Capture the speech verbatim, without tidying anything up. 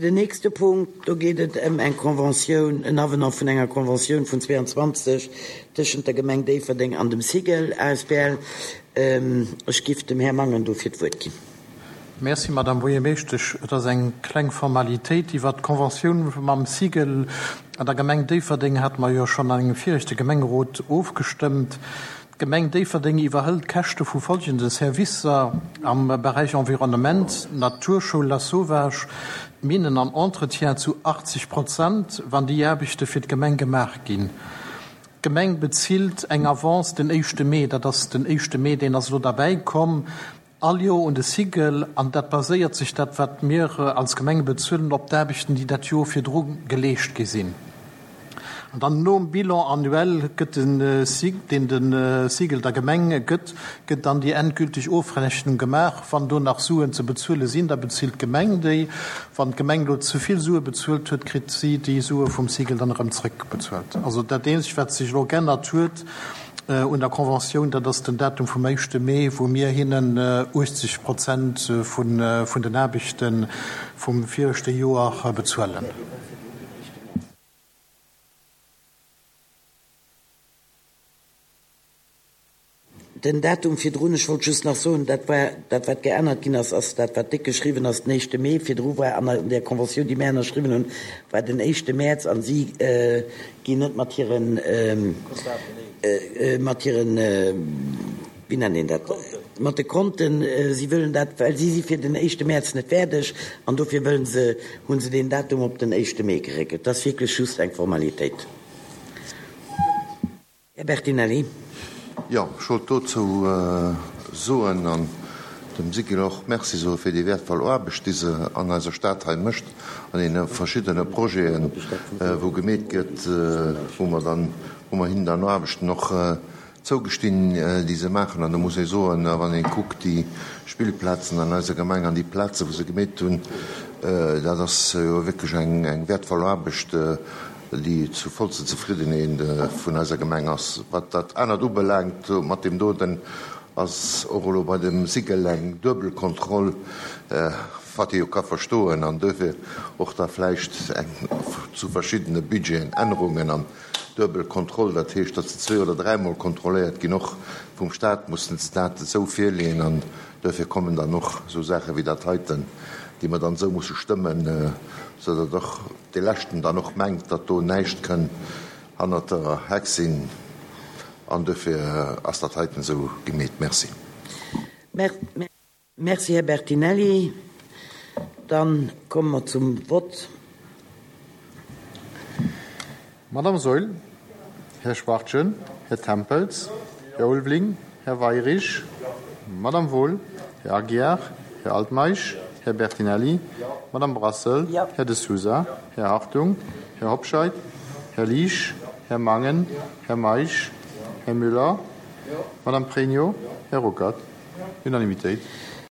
Den nächste Punkt, do geet et ëm eng Conventioun, en Avenant vun enger Conventioun vun zweiundzwanzeg tëschent der Gemeng Déifferdeng an dem SIGEL A S B L. Ech giff dem Här Mangen dofir d'Wuert ginn. Merci, Madame Buergermeeschtesch. Et ass eng kleng Formalitéit. Iwwer d'Conventioun mam SIGEL an der Gemeng Déifferdeng hate mer jo schonn an engem viregte Gemengerot ofgestëmmt. D'Gemeng Déifferdeng iwwerhëlt d'Käschte vu folgende Servicer am Beräich Environnement, Naturschoul Lasauvage, Minen an Entretien zu achtzeg Prozent, wann déi Aarbechte fir d'Gemeng gemaach ginn. D'Gemeng bezilt eng Avance den éischte Mee, dat ass den éischte Mee, deen ass elo derbäi komm, all Joer un de SIGEL, an dat baséiert sech, dat wat mir als Gemeng bezuelen, op d'Aarbechten, déi dat Joer virdru geleescht gi sinn. An dann nom Bilan annuel gëtt de SIG, deen de SIGEL der Gemeng gëtt, gëtt dann déi endgültig Ofrechnung gemaach. Wann do nach Suen ze bezuele sinn, da bezilt d'Gemeng déi. Wann d'Gemeng elo ze vill Sue bezuelt huet, kritt si déi Sue vum SIGEL dann erëm zréckbezuelt. Also dat eenzegt, wat sech elo geännert huet un der Conventioun, dat ass den Datum vum éischte Mee, wou mir hinnen uechtzeg Prozent vun den Aarbechte vum viregte Joer bezuelen. Den Datum virdrun, ech wollt just nach soen, dat war dat, wat geännert ginn ass, ass dat, wat déck geschriwwen ass, den éischte Mee. Virdru war an där Conventioun, déi mir ënnerschriwwen hunn, war den éischte Mäerz a si ginn net mat hiren, mat hiren, wéi nennt een dat, mat de Konten, si wëllen dat, well si si fir den éischte Mäerz net fäerdeg an dofir wëllen se, hu se deen Datum op den éischte Mee geréckelt. Dat ass wierklech just eng Formalitéit. Här Bertinelli. Jo, ech wollt dozou soen an dem SIGEL och Merci soe fir déi wäertvoll Aarbecht, déi se an eiser Stad hei mécht, an deene verschiddene Projeten, wou gemeet gëtt, wou mer dann, wou mer hinnen dann Aarbechten och zougestinn, déi se maachen. An do muss ee soen, wann ee kuckt déi Spillplazen an eiser Gemeng an déi Plaze wou se gemeet hunn, dat ass jo wierklech eng wäertvoll Aarbecht, déi zu vollster Zefriddenheet vun eiser Gemeng ass. Wat dat anert ubelaangt, mat deem doten ass och elo bei dem SIGEL eng duebel Kontroll, wat ee jo ka verstoen, an duerfir och da vläicht eng zu verschiddene Budgeten Ännerungen an duebel Kontroll, dat heescht, datt se zwee oder dräimol kontrolléiert ginn, och vum Stat mussen se dat esou virleeën, an duerfir kommen dann och esou Saache wéi dat heiten, déi mer dann esou musse stëmmen, sou datt och dee Leschten dann och mengt, datt do näischt kënn hannert der Heck sinn, an duerfir ass dat heiten esou gemeet. Merci. Merci, Här Bertinelli. Dann komme mer zum Vott. Madame Saeul, Här Schwachtgen, Här Tempels, Här Ulveling, Här Weyrich, Madame Wohl, Här Aguiar, Här Altmeisch, Här Bertinelli, Madame Brassel, Här De Sousa, Här Hartung, Här Hobscheit, Här Liesch, Här Mangen, Här Meisch, Här Müller, Madame Pregno, Här Ruckert. Unanimitéit.